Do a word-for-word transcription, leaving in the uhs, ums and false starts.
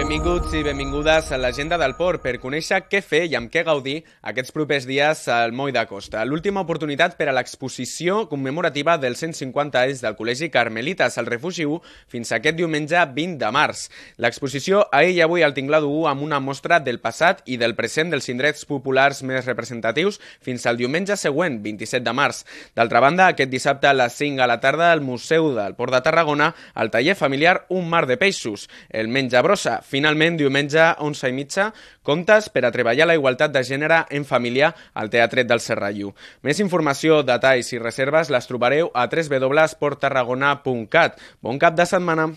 Benvinguts i benvingudes a l'Agenda del Port per conèixer què fer i amb què gaudir aquests propers dies al Moll de Costa. L'última oportunitat per a l'exposició commemorativa dels cent cinquanta anys del Col·legi Carmelites al Refugi u fins aquest diumenge vint de març. L'exposició ahir i avui al Tinglado u amb una mostra del passat i del present dels indrets populars més representatius fins al diumenge següent, vint-i-set de març. D'altra banda, aquest dissabte a les cinc a la tarda al Museu del Port de Tarragona, al taller familiar Un mar de peixos, el menjabrossa. Finalment, diumenge, onze i mitja, contes per a treballar la igualtat de gènere en família al Teatret del Serrallo. Més informació, detalls i reserves les trobareu a w w w punt port tarragona punt cat. Bon cap de setmana!